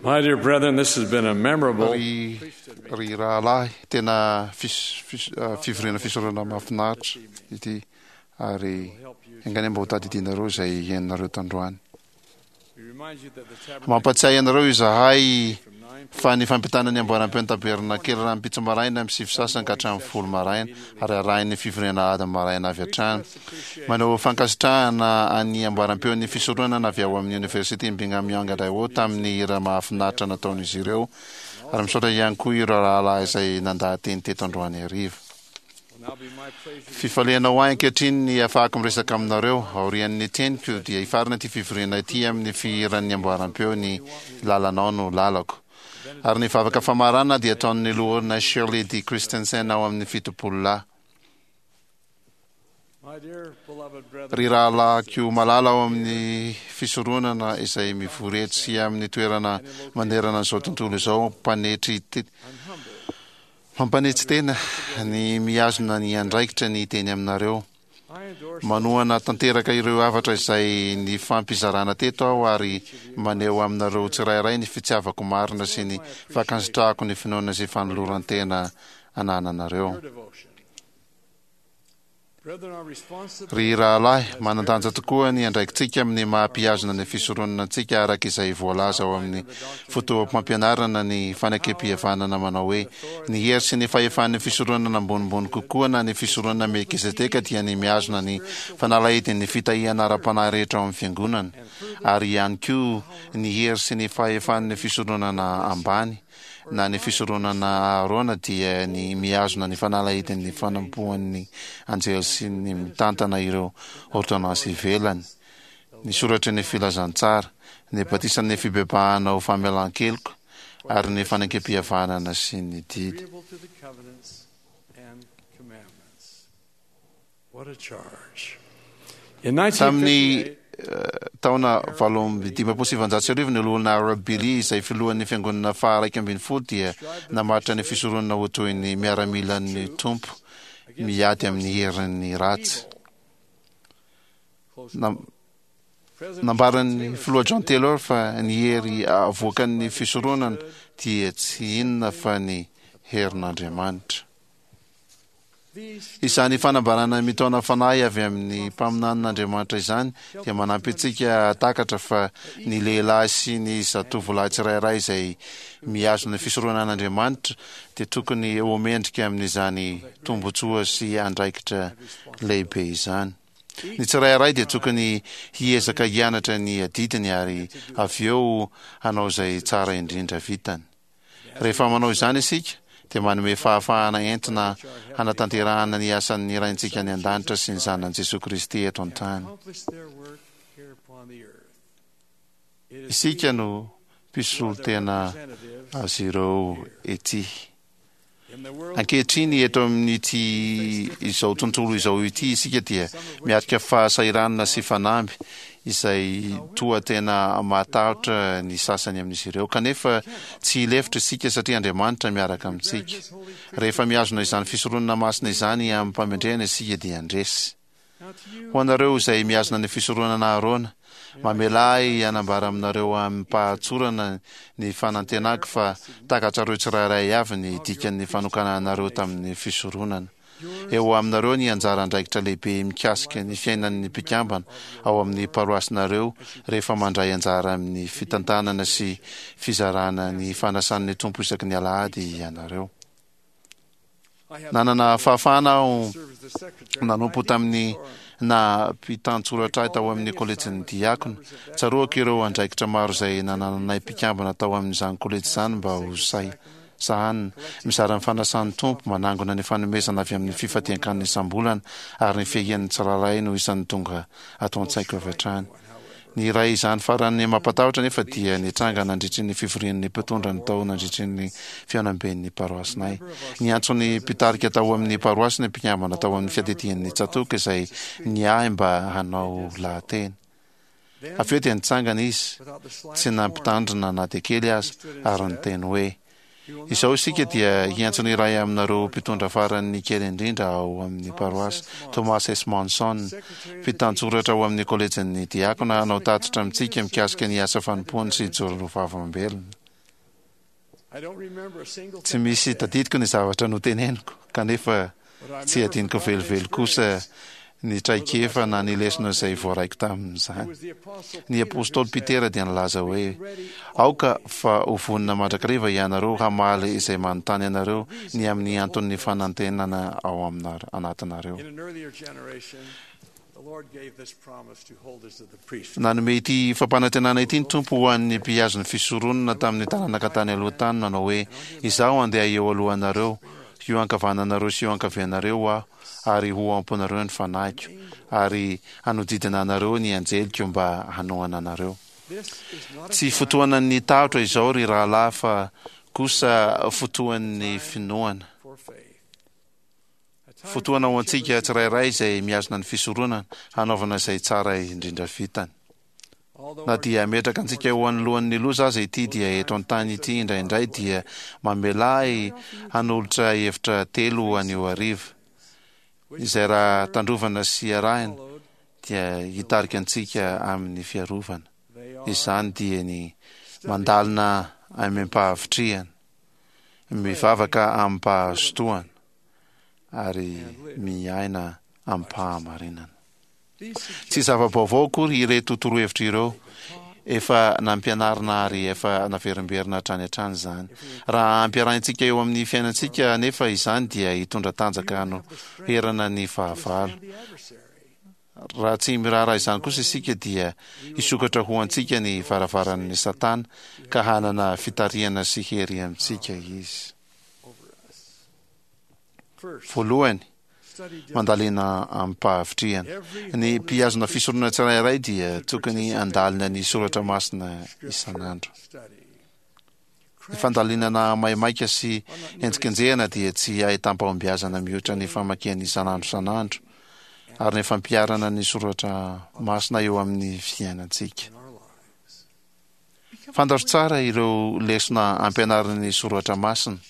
My dear brethren, this has been a memorable Ry ry rahalahy, tena fis- fis- ah, fivoriana fisaorana mahafinaritra ity ary enga anie mba ho tadidianareo izay henonareo tandroany. Mampatsiahy anareo izahay fa ny fampitana ny amboaram-peon'ny tabernakely rahampitso maraina amin'ny sivy sasany ka hatramin'ny folo maraina ary arahin'ny fivoriana alahady maraina avy hatrany. Maneho fankasitrahana an'ny amboaram-peon'ny fisoronana avy ao amin'ny Oniversiten'i Brigham Young Idaho tamin'ny hira mahafinaritra nataon'izy ireo ary misaotra ihany koa ireo rahalahy izay nandaha-teny teto androany hariva. Fifaliana ho ahy ankehitriny ny hahafahako miresaka aminareo. Aorian'ny teniko dia hifarana ity fivoriana ity amin'ny fihiran'ny amboaram-peo ny Lalanao no lalako. Ary ny vavaka famaranana dia ataon'ny Loholona Shirley D. Christensen ao amin'ny 70 lahy. Ry rahalahiko malala ao amin'ny fisoronana izay mivory eto sy amin'ny toerana manerana an'izao tontolo izao, mpanetry Mampanetsy tena ny mihazona ny andraikitra ny hiteny aminareo. Manohana tanteraka ireo hafatra izay nifampizarana teto aho ary maneho aminareo tsirairay ny fitiavako marina sy ny fankasitrahako ny finoana sy fanoloran-tena anananareo. Ry rahalahy, manan-danja tokoa ny andraikitsika amin'ny maha mpihazona ny fisoronana antsika araka izay voalaza ao amin'ny fotoam-pampianarana ny fanekempihavanana manao hoe, Ny hery sy ny fahefan'ny fisoronana ambonimbony kokoa na ny fisoronana Melkizedeka dia ny mihazona ny fanalahidin'ny fitahiana ara-panahy rehetra ao amin'ny Fiangonana, ary ihany koa ny hery sy ny fahefan'ny fisoronana ambany na ny fisoronana Aharôna dia ny mihazona ny fanalahidin'ny fanompoan'ny anjely sy ny mitantana ireo ôrdônansy ivelany, ny soratry ny filazantsara, ny batisan'ny fibebahana ho famelan-keloka, ary ny fanekempihavanana sy ny didy. Tamin'ny taona 1958, ny Loholona Harold Billy, izay filohan'ny Fiangonana faha-11 dia namaritra ny fisoronana ho toy ny miaramilan'ny Tompo miady amin'ny herin'ny ratsy. Nambaran'ny Filoha John Taylor fa ny hery avoakan'ny fisoronana dia tsy inona fa ny herin'Andriamanitra. Izany fanambarana mitaona fanahy avy amin'ny mpaminanin'Andriamanitra izany dia manampy antsika hahatakatra fa ny lehilahy sy ny zatovolahy tsirairay izay mihazona ny fisoronan'Andriamanitra dia tokony ho mendrika amin'izany tombontsoa sy andraikitra lehibe izany. Ny tsirairay dia tokony hiezaka hianatra ny adidiny ary avy eo hanao izay tsara indrindra vitany. Rehefa manao izany isika, dia manome fahafahana entina hanatanterahana ny asan'ny Raintsika any An-danitra sy ny Zanany Jesoa Kristy eto an-tany. Isika no mpisolo tena azy ireo ety. Ankehitriny, eto amin'ity izao tontolo izao ity isika dia miatrika fahasahiranana sy fanamby izay toa tena mahatahotra ny sasany amin'izy ireo. Kanefa tsy hilefitra isika satria Andriamanitra miaraka amintsika. Rehefa mihazona izany fisoronana masina izany amim-pamendrehana isika dia handresy. Ho anareo izay mihazona ny fisoronana Aharôna, mamelà ahy hanambara aminareo amim-pahatsorana ny fanantenako fa takatrareo tsirairay avy ny dikan'ny fanokananareo tamin'ny fisoronana. Eo aminareo ny anjara andraikitra lehibe mikasika ny fiainan'ny mpikambana ao amin'ny paroasinareo rehefa mandray anjara amin'ny fitantanana sy fizarana ny fanasan'ny Tompo isaky ny alahady ianareo. Nanana fahafahana aho nanompo tamin'ny naha mpitan-tsoratra ahy tao amin'ny kolejin'ny diakona. Tsaroako ireo andraikitra maro izay nanananay mpikambana tao amin'izany kolejy izany mba ho sahy sahanina, mizara ny fanasan'ny Tompo, manangona ny fanomezana avy amin'ny fifadian-kanina isam-bolana, ary ny fiahian'ny tsirairay no isan'ny tonga ato an-tsaiko avy hatrany. Ny iray izany farany mampatahotra anefa dia nitranga nandritry ny fivorian'ny mpitondra ny tao nandritry ny fihaonamben'ny paroasinay. Niantso ny mpitarika tao amin'ny paroasy ny mpikambana tao amin'ny fiadidian'ny tsatòka izay niahy mba hanao lahateny. Avy eo dia nitsangana izy, tsy nampitandrina na dia kely aza, ary niteny hoe, Izao isika dia hiantso ny iray aminareo mpitondra farany kely indrindra ao amin'ny paroasy, Thomas S. Monson, mpitantsoratra ao amin'ny kolejin'ny diakona, hanao tatitra amintsika mikasika ny asa fanompoany sy hijoro ho vavolombelona. Tsy misy tadidiko ny zavatra noteneniko, kanefa tsy adinoko velively kosa ny traikefa na ny lesona izay voaraiko tamin'izany. Ny apostoly Petera dia nilaza hoe, Aoka fa ho vonona mandrakariva ianareo hamaly izay manontany anareo ny amin'ny anton'ny fanantenana ao anatinareo. Nanome ity fampanantenana ity ny Tompo ho an'ny mpihazo ny fisoronana tamin'ny taranaka tany aloha tany, nanao hoe, Izaho handeha eo alohanareo, eo ankavananareo sy eo ankavianareo Aho, ary ho ao am-ponareo ny Fanahiko, ary hanodidina anareo ny anjeliko mba hanohana anareo. Tsy fotoanan'ny tahotra izao, ry rahalahy, fa kosa fotoan'ny finoana. Fotoana ho antsika tsirairay izay mihazona ny fisoronana hanaovana izay tsara indrindra vitany. Na dia hametraka antsika ho anoloan'ny loza aza ity dia eto an-tany ity indraindray dia mamelà ahy hanolotra hevitra telo anio hariva, izay raha tandrovana sy arahina dia hitarika antsika amin'ny fiarovana. Izany dia ny mandalina amim-pahavitrihana, mivavaka amim-pahazotoana, ary miaina amim-pahamarinana. Tsy zava-baovao akory ireto torohevitra ireo, efa nampianarina ary efa naverimberina hatrany hatrany izany. Raha ampiarahintsika eo amin'ny fiainantsika anefa izany dia hitondra tanjaka hanoherana ny fahavalo. Raha tsy miraharaha izany kosa isika dia hisokatra ho antsika ny varavaran'ny Satana ka hanana fitarihana sy hery amintsika izy. Voalohany, mandalina amim-pahavitrihana. Ny mpihazona fisoronana tsirairay dia tokony handalina ny soratra masina isan'andro. Ny fandalinana maimaika sy henjikenjehana dia tsy ahitam-pahombiazana mihoatra ny famakiana isan'andro isan'andro ary ny fampiharana ny soratra masina eo amin'ny fiainantsika. Fantaro tsara ireo lesona ampianarin'ny soratra masina.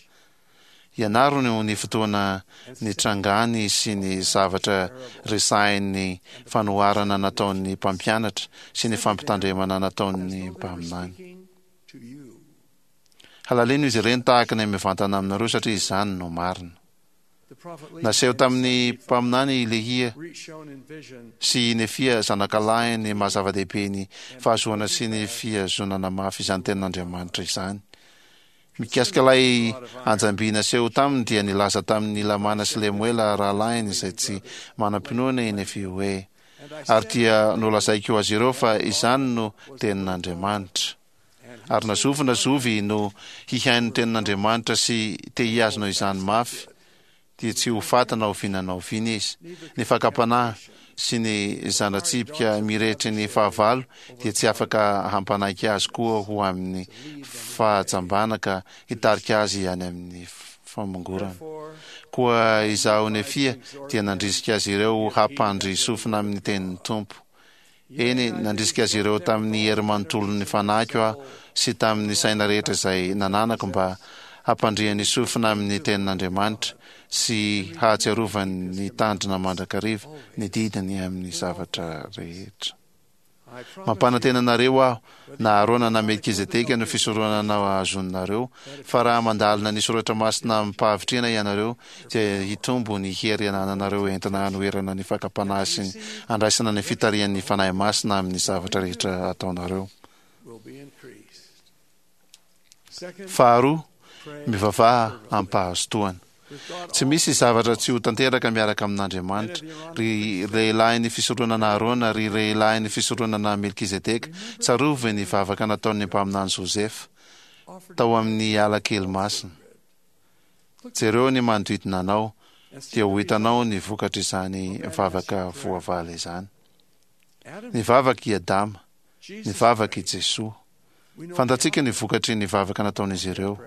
Ianaro ny fotoana nitrangany sy ny zavatra resahin'ny fanoharana nataon'ny mpampianatra sy ny fampitandremana nataon'ny mpaminany. Halalino izy ireny tahaka ny mivantana aminareo satria izany no marina. Naseho tamin'ny mpaminany i Lehia sy i Nefia zanakalahiny ny maha zava-dehibe ny fahazoana sy ny fihazonana mafy izany tenin'Andriamanitra izany. Mikasika ilay anjam-by naseho taminy dia nilaza tamin'i Lamàna sy Lemoela rahalahiny izay tsy manam-pinoana i Nefia hoe, Ary dia nolazaiko azy ireo fa izany no tenin'Andriamanitra. Ary na zovy na zovy no hihaino ny tenin'Andriamanitra sy te hihazona izany mafy, dia tsy ho faty na oviana na oviana izy. Ny fakam-panahy sy ny zana-tsipika mirehetry ny fahavalo dia tsy afaka hampanaiky azy koa ho amin'ny fahajambana ka hitarika azy any amin'ny famongorana. Koa izaho Nefia dia nandrisika azy ireo hampandry sofina amin'ny tenin'ny Tompo. Eny, nandrisika azy ireo tamin'ny hery manontolon'ny fanahiko aho sy tamin'ny saina rehetra izay nananako mba hampandriany sofina amin'ny tenin'Andriamanitra sy hahatsiarovany ny tandrina mandrakariva ny didiny amin'ny zavatra rehetra. Mampanantena anareo aho, na Arona na Melkizedeka no fisoronana hahazoanareo, fa raha mandalina ny soratra masina amim-pahavitrihana ianareo, dia hitombo ny hery anananareo entina hanoherana ny fakam-panahy sy ny handraisana ny fitarihan'ny Fanahy Masina amin'ny zavatra rehetra ataonareo. Faharoa, mivavaha amim-pahazotoana. Tsy misy zavatra tsy ho tanteraka miaraka amin'Andriamanitra. Ry lehilahin'ny fisoronana Arona, ry lehilahin'ny fisoronana Melkizedeka, tsarovy ny vavaka nataon'ny mpaminany Josefa tao amin'ny ala kely masina. Jereo ny manodidina anao, dia ho hitanao ny vokatr'izany vavaka voavaly izany. Nivavaka i Adama, nivavaka i Jesoa. Fantatsika ny vokatry ny vavaka nataon'izy ireo.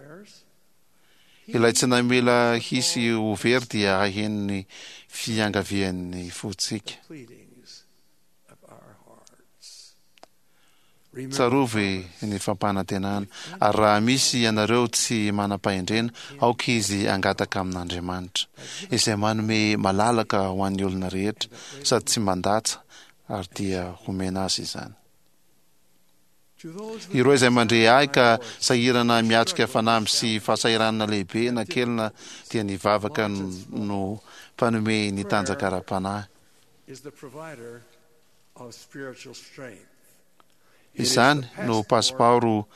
Ilay tsy namela hisy ho very dia haheno ny fiangavian'ny fontsika. Tsarovy ny fampanantenana, ary raha misy ianareo tsy manam-pahendrena, aoka izy hangataka amin'Andriamanitra, izay manome malalaka ho an'ny olona rehetra, sady tsy mandatsa, ary dia homena azy izany. Ireo izay mandre ahy ka sahirana miatrika fanamby sy fahasahiranana lehibe na kely na dia ny vavaka no mpanome ny tanjaka ara-panahy. Izany no pasipaoro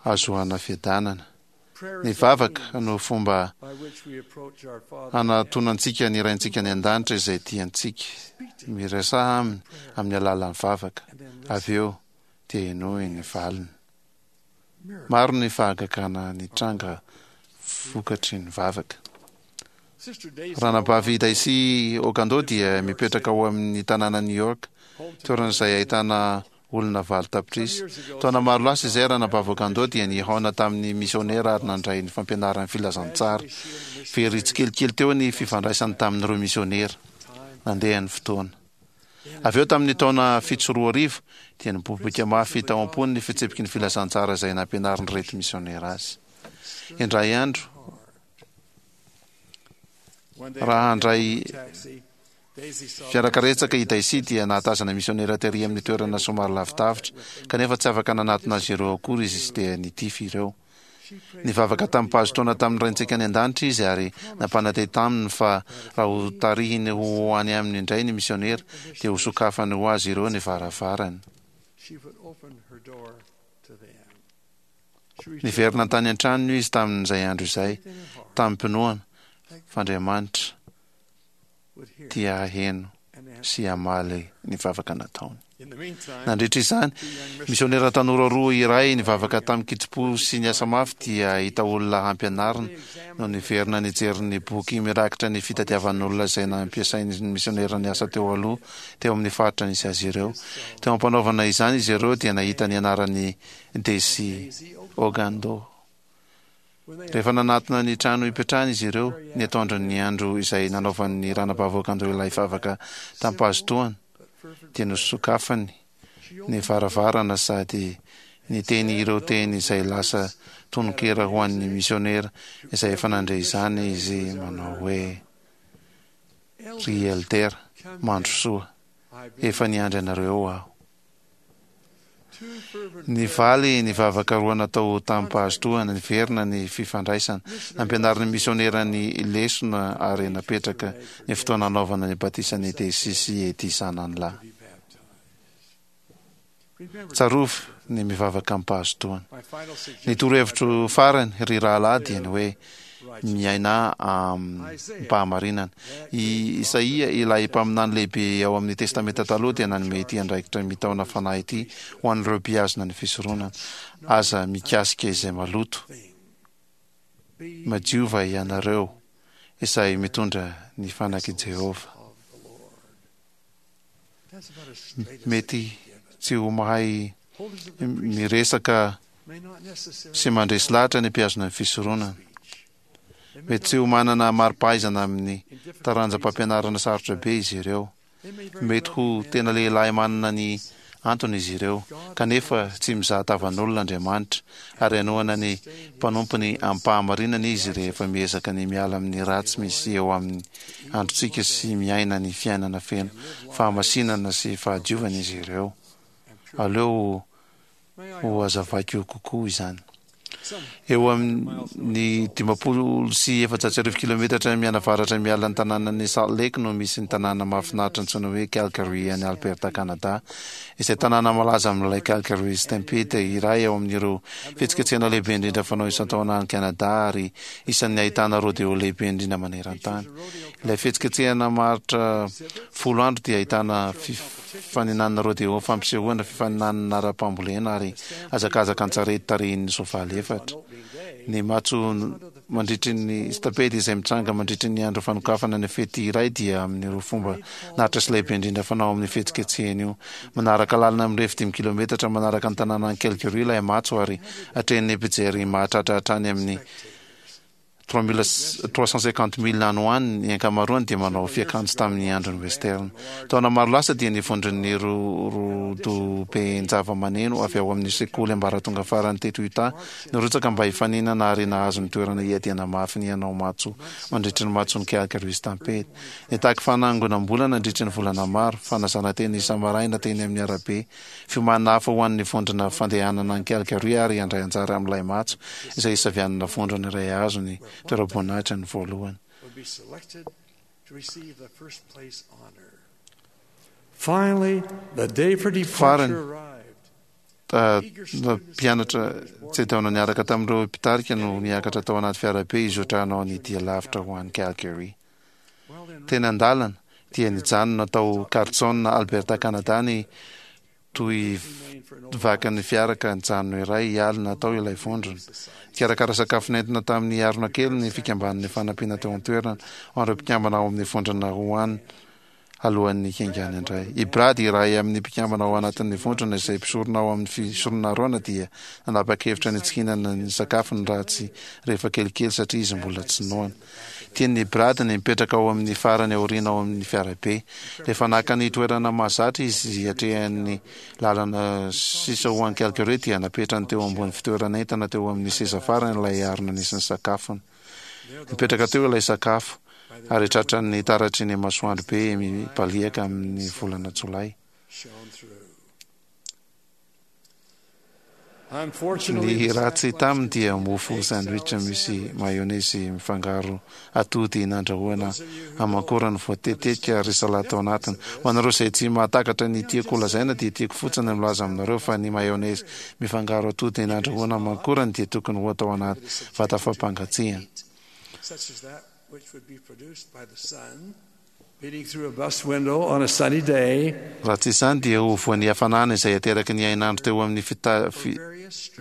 ahazoana fiadanana. Ny vavaka no fomba hanatonantsika ny Raintsika any An-danitra izay tia antsika. Miresaha Aminy amin'ny alalan'ny vavaka. Avy eo dia henoy ny valiny. Maro ny fahagagana nitranga vokatry ny vavaka. Ranabavy Daisy Ogando dia mipetraka ao amin'ny tanànan'i New York, toerana izay ahitana olona 8 tapitrisa. Taona maro lasa izay, Ranabavy Ogando dia nihaona tamin'ny misionera ary nandray ny fampianaran'ny filazantsara. Very tsikelikely teo ny fifandraisany tamin'ireo misionera. Nandeha ny fotoana. Avy eo tamin'ny taona 2007, dia niboiboika mafy tao am-pony ny fitsipiky ny filazantsara izay nampianarin'ireto misionera azy. Indray andro, raha handray fiarakaretsaka i Daisy dia nahatazana misionera tery amin'ny toerana somary lavidavitra, kanefa tsy afaka nanatona azy ireo akory izy sy dia nitify ireo. Nivavaka tamim-pahazotoana tamin'ny Raintsika any An-danitra izy ary nampanantena taminy fa raha hotarihiny ho any aminy indray ny misionera dia hosokafany ho azy ireo ny varavarany. Niverina tany an-tranony izy tamin'izay andro izay, tamim-pinoana fa Andriamanitra dia haheno sy hamaly ny vavaka nataony. Nandritra izany, misionera tanora roa iray nivavaka tamin-kitsim-po sy niasa mafy dia hahita olona hampianarina no niverina nijery ny boky mirakitra ny fitadiavan'olona izay nampiasain'ny misionera niasa teo aloha teo amin'ny faritra nisy azy ireo. Teo am-panaovana izany izy ireo dia nahita ny anaran'i Desi Ogando. Rehefa nanatona ny trano hipetrahany izy ireo, ny atoandron'ny andro izay nanaovan'ny ranabavy Ogando ilay vavaka tamim-pahazotoana, dia nosokafany ny varavarana sady niteny ireo teny izay lasa tononkira ho an'ny misionera izay efa nandre izany izy manao hoe, Ry Elder, mandrosoa, efa niandry anareo aho. Nivaly ny vavaka roa natao tamim-pahazotoana, niverina ny fifandraisana, nampianarin'ny misionera ny lesona ary napetraka ny fotoana hanaovana ny batisan'i Daisy sy Eddie zanany lahy. Tsarovy ny mivavaka amim-pahazotoana. Ny torohevitro farany, ry rahalahy, dia ny hoe miainà amim-pahamarinana. I Isaia, ilay mpaminany lehibe ao amin'ny Testamenta Taloha, dia nanome ity andraikitra mitaona fanahy ity ho an'ireo mpihazona ny fisoronana, Aza mikasika izay maloto. Madiova ianareo izay mitondra ny fanak'i Jehovah. Mety tsy ho mahay miresaka sy mandresy lahatra ny mpihazona ny fisoronana. Mety tsy ho manana mari-pahaizana amin'ny taranjam-pampianarana sarotra be izy ireo. Mety ho tena lehilahy manana ny antony izy ireo, kanefa tsy mizaha tavan'olona Andriamanitra, ary hanohana ny mpanompony amim-pahamarinana izy rehefa miezaka ny miala amin'ny ratsy misy eo amin'ny androntsika sy miaina ny fiainana feno fahamasinana sy fahadiovana izy ireo. Aleo ho hazavaiko kokoa izany. Eo amin'ny 1450 kilometatra mianavaratra miala ny tanànan'i Salt Lake no misy ny tanàna mahafinaritra antsoina hoe Calgary any Alberta, Canada, izay tanàna malaza amin'ilay Calgary Stampede, iray ao amin'ireo fihetsiketsehana lehibe indrindra fanao isan-taona any Canada ary isan'ny ahitana rodeo lehibe indrindra maneran-tany. Ilay fihetsiketsehana maharitra 10 andro dia ahitana fifaninanana rodeo, fampisehoana, fifaninanana ara-pambolena ary hazakazaka an-tsarety tarihin'ny soavaly efatra. Ny matso mandritry ny Stampede izay mitranga mandritry ny andro fanokafana ny fety iray dia amin'ireo fomba naratra sy lehibe indrindra fanao amin'ny fihetsiketsehana io. Manaraka lalana mirefy dimy kilometatra manaraka ny tanànan'i Calgary ilay matso ary atrehin'ny mpijery mahatratra hatrany amin'ny. 350 milles any ho any, ny ankamaroany dia manao fiakanjo tamin'ny andron'ny western. Taona maro lasa dia ny vondron'ny rodoben-javamaneno avy ao amin'ny sekoly ambaratonga farany teto Utah nirotsaka mba hifaninana ary nahazo ny toerana hiadiana mafy ny hanao matso mandritry ny matson'ny Calgary Stampede. Nitaky fanangonam-bola nandritry ny volana maro, fanasana tena isa-maraina teny amin'ny arabe, Fiomanana hafa ho an'ny vondrona fandehanana any Calgary ary handray anjara amin'ilay matso izay hisavianana vondrona iray hahazo ny toeram-boninahitra ny voalohany. Farany, mpianatra tsy niaraka tamin'ireo mpitarika no niakatra tao anaty fiarabe hizotra hanao ny dia lavitra ho any Calgary. Teny an-dalana, dia nijanona tao Carlson, Alberta, Canada ny tohivakan'ny fiara ka nijanona iray alina tao ilay vondrona. Nikarakara sakafo nentina tamin'ny harona kely ny fikambanan'ny fanampiana teo an-toerana ho an'ireo mpikambana ao amin'ny vondrona Rouen alohan'ny hiaingàny indray. I Brad, iray amin'ny mpikambana ao anatin'ny vondrona izay mpisorona ao amin'ny fisoronana Arona dia nanapa-kevitra ny tsy hihinana ny sakafony raha tsy rehefa kelikely satria izy mbola tsy noana. Tian'i Brad ny mipetraka ao amin'ny farany aoriana ao amin'ny fiarabe. Rehefa naka ny toerana mahazatra izy hiatrehany lalana sisa ho any Calgary dia napetrany teo ambony fitoeran'entana teo amin'ny seza farany ilay harona nisy ny sakafony. Nipetraka teo ilay sakafo ary tratran'ny taratry ny masoandro be mibaliaka amin'ny volana jolay. Ny ratsy taminy dia mofo sandwich misy mayonnaise mifangaro atody nandrahoina aman-korany voatetetika ary salady tao anatiny. Ho anareo izay tsy mahatakatra ny tiako holazaina dia tiako fotsiny ny milaza aminareo fa ny mayonnaise mifangaro atody nandrahoina aman-korany dia tokony ho atao anaty vata fampangatsiahana. Raha tsy izany dia ho voan'ny hafanana izay ateraky ny hainandro teo amin'ny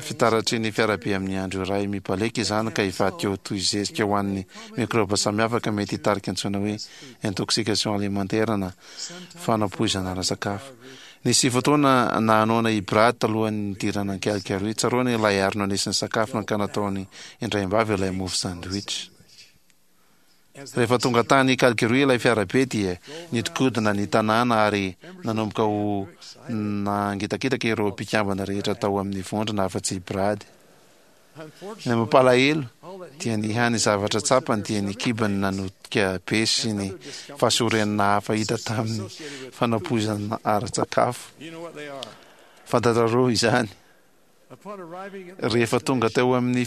fitaratry ny fiarabe amin'ny andro iray mibaliaka izany ka hivadika ho toy zezika ho an'ny mikraoba samihafa ka mety hitarika antsoina hoe intoxication alimentaire na fanapoizana ara-tsakafo. Nisy fotoana nahanoana i Brad talohan'ny nidirana an'i Calgary. Tsaroany ilay harona nisy ny sakafony ka nataony indraim-bava ilay mofo sandwich. Rehefa tonga tany Calgary ilay fiarabe dia nidinkodina ny tanàna ary nanomboka ho nangitakitaka ireo mpikambana rehetra tao amin'ny vondrona afa-tsy i Brad. Ny mampalahelo dia ny hany zavatra tsapany dia ny kibony nanotika be sy ny fahasorenana hafa hita tamin'ny fanapoizana ara-tsakafo. Fantatrareo izany. Rehefa tonga teo amin'ny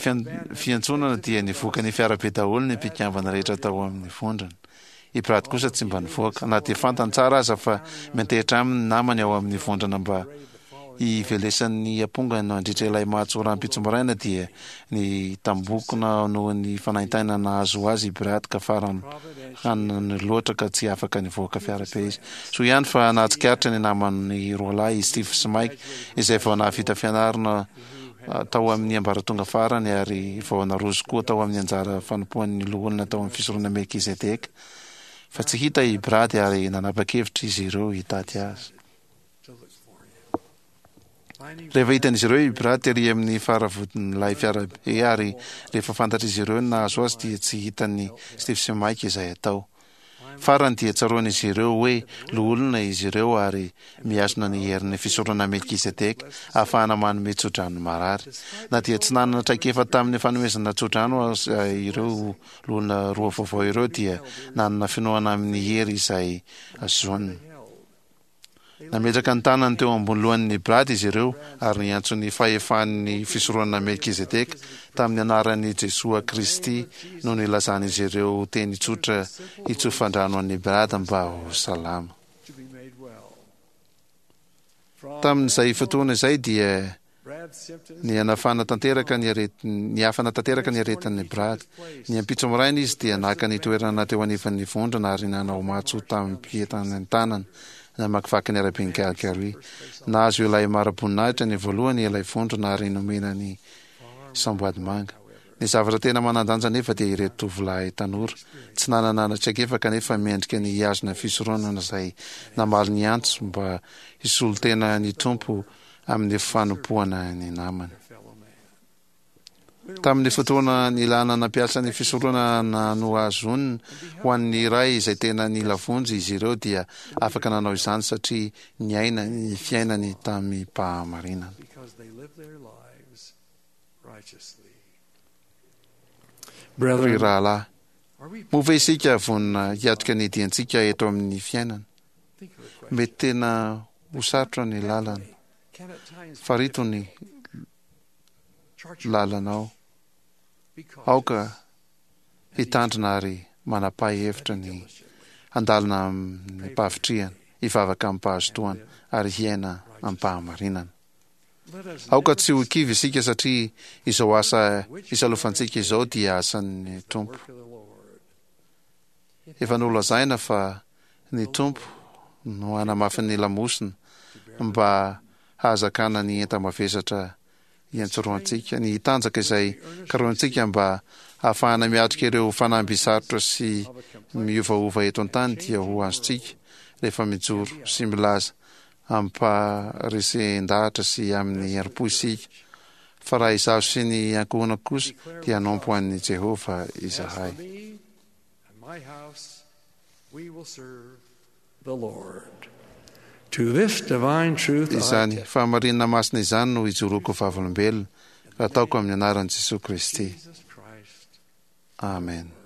fiantsonana dia nivoaka ny fiarabe daholo ny mpikambana rehetra tao amin'ny vondrona. I Brad kosa tsy mba nivoaka, na dia fantany tsara aza fa miantehitra aminy ny namany ao amin'ny vondrona mba hivelesan'ny ampongany nandritra ilay matso rahampitso maraina dia nitambokona noho ny fanaintainana nahazo azy i Brad ka farany hanany loatra ka tsy afaka nivoaka fiarabe izy. Soa ihany fa nahatsikaritra ny namany roalahy i Steve sy Mike, izay vao nahavita fianarana tao amin'ny ambaratonga farany ary vao naroso koa tao amin'ny anjara fanompoan'ny loholona tao amin'ny fisoronana Melkizedeka, fa tsy hita i Brad ary nanapa-kevitra izy ireo hitady azy. Rehefa hitan'izy ireo i Brad tery amin'ny fara-vodin'ilay fiarabe ary rehefa fantatr'izy ireo ny nahazo azy dia tsy hitan'i Steve sy Mike izay atao. Farany dia tsaroan'izy ireo hoe loholona izy ireo ary mihazona ny herin'ny fisoronana Melkizedeka ahafahana manome tsodrano ny marary. Na dia tsy nanana traikefa tamin'ny fanomezana tsodrano aza ireo loholona roa vaovao ireo dia nanana finoana amin'ny hery izay azoniny. Nametraka ny tanany teo ambony lohan'i Brad izy ireo ary niantso ny fahefan'ny fisoronana Melkizedeka tamin'ny anaran'i Jesoa Kristy no nilazan'izy ireo teny tsotra hitsofan-drano an'i Brad mba ho salama. Tamin'izay fotoana izay dia Nihanafana tanteraka ny aretin, nihafana tanteraka ny aretin'i Brad. Ny ampitso maraina izy dia naka ny toerana teo anivan'ny vondrona ary nanao matso tamim-pientanentanana namakivaky ny araben'i Calgary. Nahazo ilay mari-boninahitra ny voalohany ilay vondrona ary nomena ny samboadimanga. Ny zavatra tena manan-danja anefa dia ireto tovolahy tanora, tsy nanana traikefa kanefa mendrika ny hihazona fisoronana izay namaly ny antso mba hisolo tena ny Tompo amin'ny fanompoana ny namany. Tamin'ny fotoana nilana nampiasa ny fisoronana nohazonina ho an'ny iray izay tena nila vonjy izy ireo dia afaka nanao izany satria niaina ny fiainany tamim-pahamarinana. Ry rahalahy, moa ve isika vonona hiatrika ny diantsika eto amin'ny fiainana? Mety tena ho sarotra ny lalana. Farito ny lalanao. Aoka hitandrina ary manapaha hevitra ny handalina amim-pahavitrihana, hivavaka amim-pahazotoana ary hiaina amim-pahamarinana. Aoka tsy ho kivy isika satria izao asa isalovantsika izao dia asan'ny Tompo. Efa nolazaina fa ny Tompo no hanamafy ny lamosina mba hahazakana ny enta-mavesatra iantsorohantsika, ny hitanjaka izay karohintsika mba hahafahana miatrika ireo fanamby sarotra sy miovaova eto an-tany dia ho azontsika rehefa mijoro sy milaza amim-paharesen-dahatra sy amin'ny herim-po isika fa raha izaho sy ny ankohonako kosa dia hanompo an'i Jehovah izahay. Izany fahamarinana masina izany no ijoroako vavolombelona, ataoko amin'ny anaran'i Jesoa Kristy. Amen.